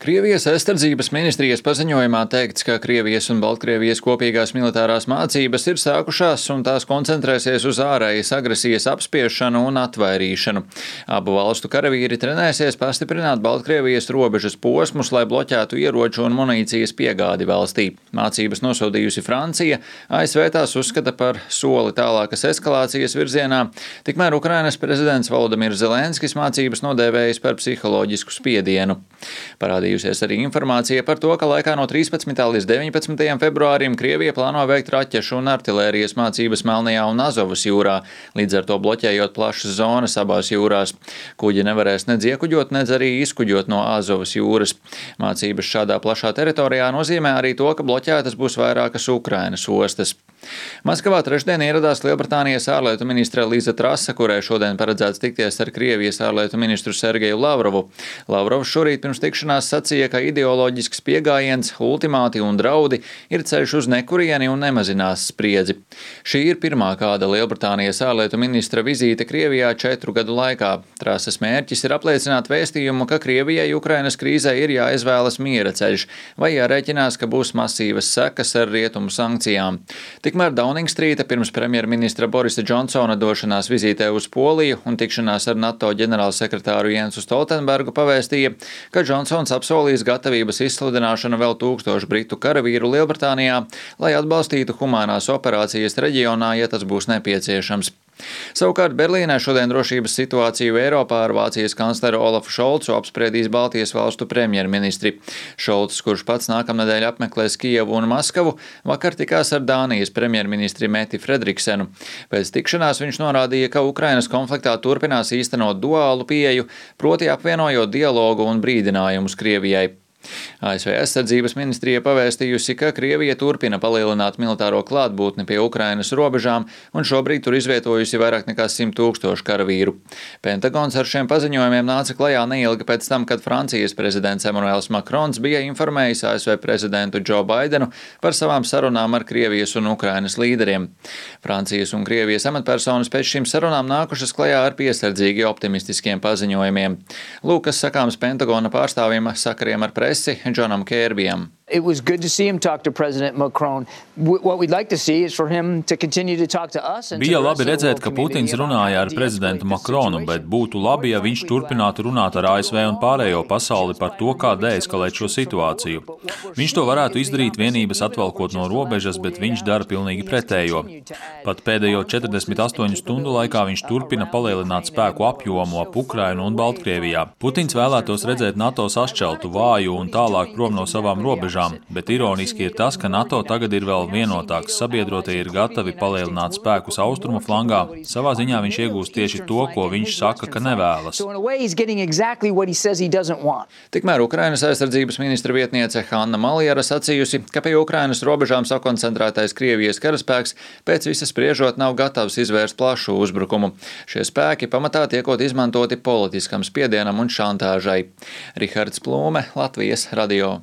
Krievijas aizsardzības ministrijas paziņojumā teikts, ka Krievijas un Baltkrievijas kopīgās militārās mācības ir sākušās un tās koncentrēsies uz ārējas agresijas apspiešanu un atvairīšanu. Abu valstu karavīri trenēsies pastiprināt Baltkrievijas robežas posmus, lai bloķētu ieroču un munīcijas piegādi valstī. Mācības nosodījusi Francija, ASV tās uzskata par soli tālākas eskalācijas virzienā, tikmēr Ukrainas prezidents Volodimirs Zelenskis mācības nodēvējis par psiholoģisku spiedienu. Parādījusies arī informācija par to, ka laikā no 13. līdz 19. februārim Krievija plāno veikt raķešu un artilērijas mācības Melnajā un Azovas jūrā, līdz ar to bloķējot plašas zonas abās jūrās. Kuģi nevarēs nedz iekuģot, nedz arī izkuģot no Azovas jūras. Mācības šādā plašā teritorijā nozīmē arī to, ka bloķētas būs vairākas Ukrainas ostas. Maskavā trešdien ieradās Lielbritānijas ārlietu ministre Liza Trasa, kurai šodien paredzēts tikties ar Krievijas ārlietu ministru Sergeju Lavrovu. Lavrovs šorīt pirms tikšanās sacīja, ka ideoloģisks pieejams, ultimāti un draudi ir ceļš uz nekurieni un nemazinās spriedzi. Šī ir pirmā kāda Lielbritānijas ārlietu ministra vizīte Krievijā 4 gadu laikā. Trasas mērķis ir apliecināt vēstījumu, ka Krievijai Ukrainas krīzē ir jāizvēlas miera ceļš vai jārēķinās, ka būs masīvas sekas ar rietumu sankcijām. Tikmēr Dauningstrīta pirms premjerministra Borisa Džonsona došanās vizītē uz Poliju un tikšanās ar NATO ģenerālsekretāru Jensu Stoltenbergu pavēstīja, ka Džonsons apsolīs gatavības izsludināšanu vēl 1000 britu karavīru Lielbritānijā, lai atbalstītu humānās operācijas reģionā, ja tas būs nepieciešams. Savukārt Berlīnē šodien drošības situāciju Eiropā ar Vācijas kancleru Olafu Šolcu apspriedīs Baltijas valstu premjerministri. Šolcs, kurš pats nākamnedēļ apmeklēs Kijevu un Maskavu, vakar tikās ar Dānijas premjerministri Meti Fredriksenu. Pēc tikšanās viņš norādīja, ka Ukrainas konfliktā turpinās īstenot duālu pieeju, proti apvienojot dialogu un brīdinājumus Krievijai. ASV aizsardzības ministrija pavēstījusi, ka Krievija turpina palielināt militāro klātbūtni pie Ukrainas robežām un šobrīd tur izvietojusi vairāk nekā 100 000 karavīru. Pentagons ar šiem paziņojumiem nāca klajā neilgi pēc tam, kad Francijas prezidents Emmanuels Macrons bija informējis ASV prezidentu Joe Bidenu par savām sarunām ar Krievijas un Ukrainas līderiem. Francijas un Krievijas amatpersonas pēc šīm sarunām nākušas klajā ar piesardzīgi optimistiskiem paziņojumiem. Lūk, kas sakāms Pentagona pārstāvjiem sakariem ar presi Džonam Kērbijam. It was good to see him talk to President Macron. What we'd like to see is for him to continue to talk to us. Bija labi redzēt, ka Putins runāja ar prezidentu Macronu, bet būtu labi, ja viņš turpinātu runāt ar ASV un pārējo pasauli par to, kā deeskalēt šo situāciju. Viņš to varētu izdarīt vienības atvelkot no robežas, bet viņš dara pilnīgi pretējo. Pat pēdējo 48 stundu laikā viņš turpina palielināt spēku apjomu ap Ukrainu un Baltkrievijā. Putins vēlētos redzēt NATO sašķeltu, vāju un tālāk prom no savām robežām. Bet ironiski ir tas, ka NATO tagad ir vēl vienotāks, sabiedrotie ir gatavi palielināt spēkus austrumu flangā. Savā ziņā viņš iegūst tieši to, ko viņš saka, ka nevēlas. Tikmēr Ukrainas aizsardzības ministra vietniece Hanna Maliara sacījusi, ka pie Ukrainas robežām sakoncentrētais Krievijas karaspēks pēc visa spriežot nav gatavs izvērst plašu uzbrukumu. Šie spēki pamatā tiekot izmantoti politiskam spiedienam un šantāžai. Rihards Plūme, Latvijas radio.